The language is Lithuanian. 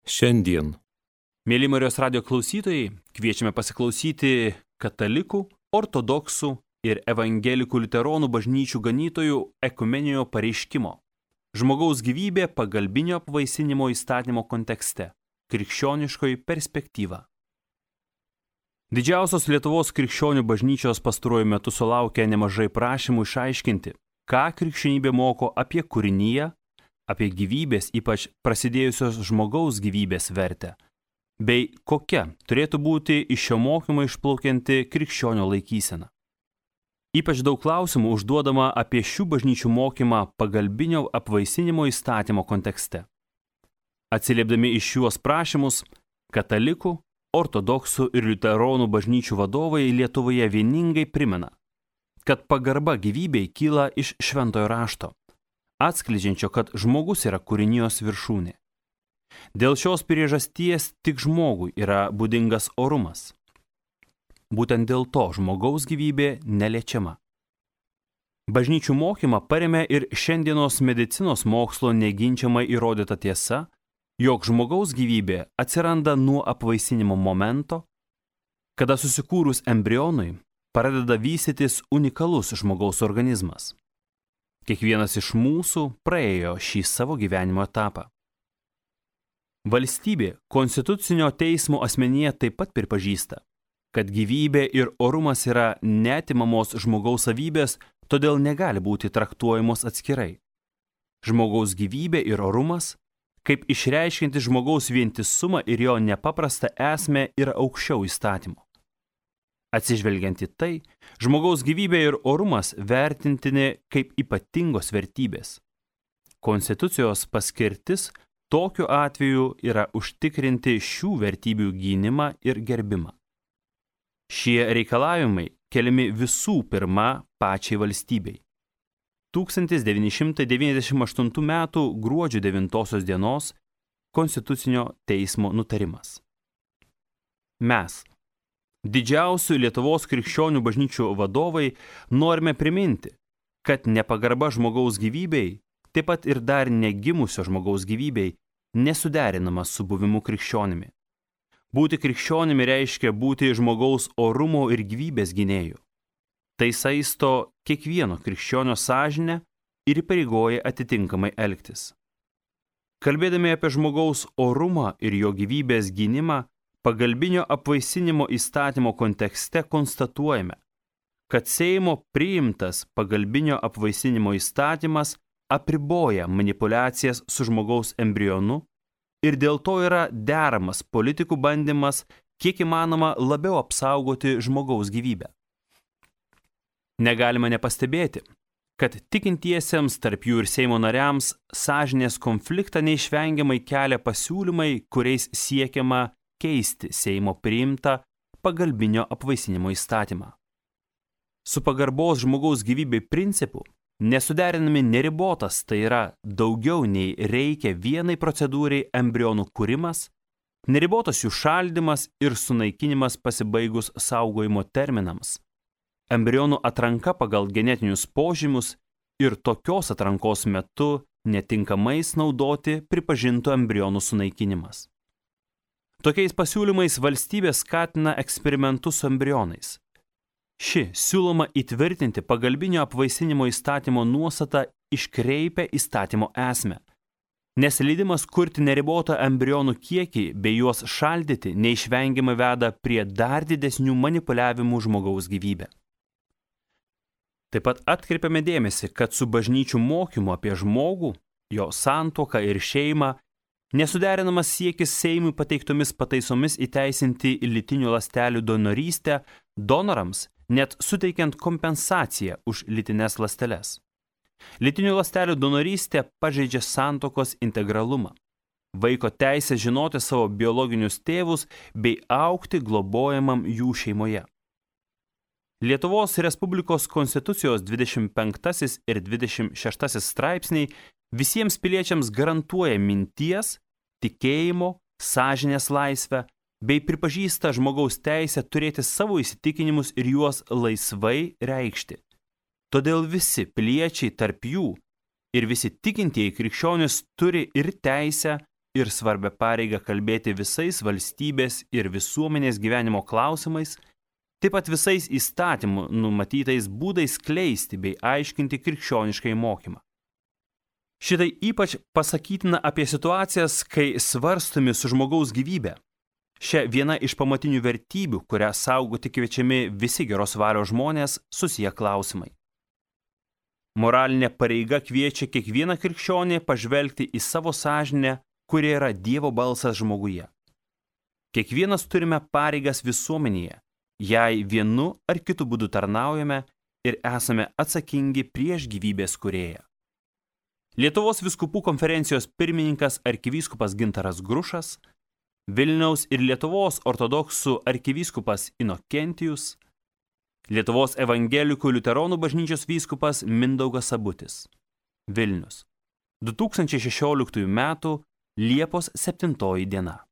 Šiandien. Mėly Marijos radijo klausytojai, kviečiame pasiklausyti katalikų, ortodoksų ir evangelikų liuteronų bažnyčių ganytojų ekumeninio pareiškimo. Žmogaus gyvybė pagalbinio apvaisinimo įstatymo kontekste. Krikščioniškoji perspektyva. Didžiausios Lietuvos krikščionių bažnyčios pastaruoju metu sulaukia nemažai prašymų išaiškinti, ką krikščionybė moko apie kūriniją, apie gyvybės, ypač prasidėjusios žmogaus gyvybės vertę, bei kokia turėtų būti iš šio mokymo išplaukianti krikščionio laikysena. Ypač daug klausimų užduodama apie šių bažnyčių mokymą pagalbinio apvaisinimo įstatymo kontekste. Atsiliepdami iš šiuos prašymus, katalikų, ortodoksų ir liuteronų bažnyčių vadovai Lietuvoje vieningai primena, kad pagarba gyvybei kyla iš šventojo rašto, atskleidžiančio, kad žmogus yra kūrinijos viršūnė. Dėl šios priežasties tik žmogui yra būdingas orumas. Būtent dėl to žmogaus gyvybė neliečiama. Bažnyčių mokymą paremia ir šiandienos medicinos mokslo neginčiamai įrodyta tiesa, jog žmogaus gyvybė atsiranda nuo apvaisinimo momento, kada susikūrus embrionui pradeda vystytis unikalus žmogaus organizmas. Kiekvienas iš mūsų praėjo šį savo gyvenimo etapą. Valstybė Konstitucinio teismo asmenyje taip pat pripažįsta, kad gyvybė ir orumas yra neatimamos žmogaus savybės, todėl negali būti traktuojamos atskirai. Žmogaus gyvybė ir orumas, kaip išreiškianti žmogaus vientisumą ir jo nepaprastą esmę, yra aukščiau įstatymo. Atsižvelgiant į tai, žmogaus gyvybė ir orumas vertintini kaip ypatingos vertybės. Konstitucijos paskirtis tokiu atveju yra užtikrinti šių vertybių gynimą ir gerbimą. Šie reikalavimai keliami visų pirma pačiai valstybei. 1998 m. gruodžio 9 dienos Konstitucinio teismo nutarimas. Mes, didžiausių Lietuvos krikščionių bažnyčių vadovai, norime priminti, kad nepagarba žmogaus gyvybei, taip pat ir dar negimusio žmogaus gyvybei, nesuderinama su buvimu krikščionimi. Būti krikščionimi reiškia būti žmogaus orumo ir gyvybės gynėjų. Tai saisto kiekvieno krikščionio sąžinę ir įpareigoja atitinkamai elgtis. Kalbėdami apie žmogaus orumą ir jo gyvybės gynimą, pagalbinio apvaisinimo įstatymo kontekste konstatuojame, kad Seimo priimtas pagalbinio apvaisinimo įstatymas apriboja manipulacijas su žmogaus embrionu ir dėl to yra deramas politikų bandymas kiek įmanoma labiau apsaugoti žmogaus gyvybę. Negalima nepastebėti, kad tikintiesiems, tarp jų ir Seimo nariams, sąžinės konfliktą neišvengiamai kelia pasiūlymai, kuriais siekiama keisti Seimo priimtą pagalbinio apvaisinimo įstatymą. Su pagarbos žmogaus gyvybei principu nesuderinami neribotas, tai yra daugiau nei reikia vienai procedūrai embrionų kūrimas, neribotas jų šaldymas ir sunaikinimas pasibaigus saugojimo terminams, embrionų atranka pagal genetinius požymius ir tokios atrankos metu netinkamais naudoti pripažintų embrionų sunaikinimas. Tokiais pasiūlymais valstybė skatina eksperimentus su embrionais. Ši siūloma įtvirtinti pagalbinio apvaisinimo įstatymo nuostatą iškreipia įstatymo esmę, nes leidimas kurti neribotą embrionų kiekį bei juos šaldyti neišvengiamai veda prie dar didesnių manipuliavimų žmogaus gyvybę. Taip pat atkreipiame dėmesį, kad su bažnyčių mokymu apie žmogų, jo santuoką ir šeimą nesuderinamas siekis Seimui pateiktomis pataisomis įteisinti lytinių ląstelių donorystę donorams, net suteikiant kompensaciją už lytines ląsteles. Lytinių ląstelių donorystė pažeidžia santuokos integralumą, vaiko teisę žinoti savo biologinius tėvus bei augti globojamam jų šeimoje. Lietuvos Respublikos Konstitucijos 25 ir 26 straipsniai visiems piliečiams garantuoja minties, tikėjimo, sąžinės laisvę bei pripažįsta žmogaus teisę turėti savo įsitikinimus ir juos laisvai reikšti. Todėl visi piliečiai tarp jų ir visi tikintieji krikščionys turi ir teisę, ir svarbią pareigą kalbėti visais valstybės ir visuomenės gyvenimo klausimais, taip pat visais įstatymų numatytais būdais skleisti bei aiškinti krikščioniškai mokymą. Šitai ypač pasakytina apie situacijas, kai svarstomi su žmogaus gyvybė. Šia viena iš pamatinių vertybių, kurią saugoti kviečiami visi geros valios žmonės, susiję klausimai. Moralinė pareiga kviečia kiekvieną krikščionį pažvelgti į savo sąžinę, kuri yra Dievo balsas žmoguje. Kiekvienas turime pareigas visuomenėje, jei vienu ar kitu būdu tarnaujame ir esame atsakingi prieš gyvybės kūrėją. Lietuvos vyskupų konferencijos pirmininkas arkivyskupas Gintaras Grušas, Vilniaus ir Lietuvos ortodoksų arkivyskupas Inokentijus, Lietuvos evangelikų liuteronų bažnyčios vyskupas Mindaugas Sabutis. Vilnius. 2016 m. Liepos 7 diena.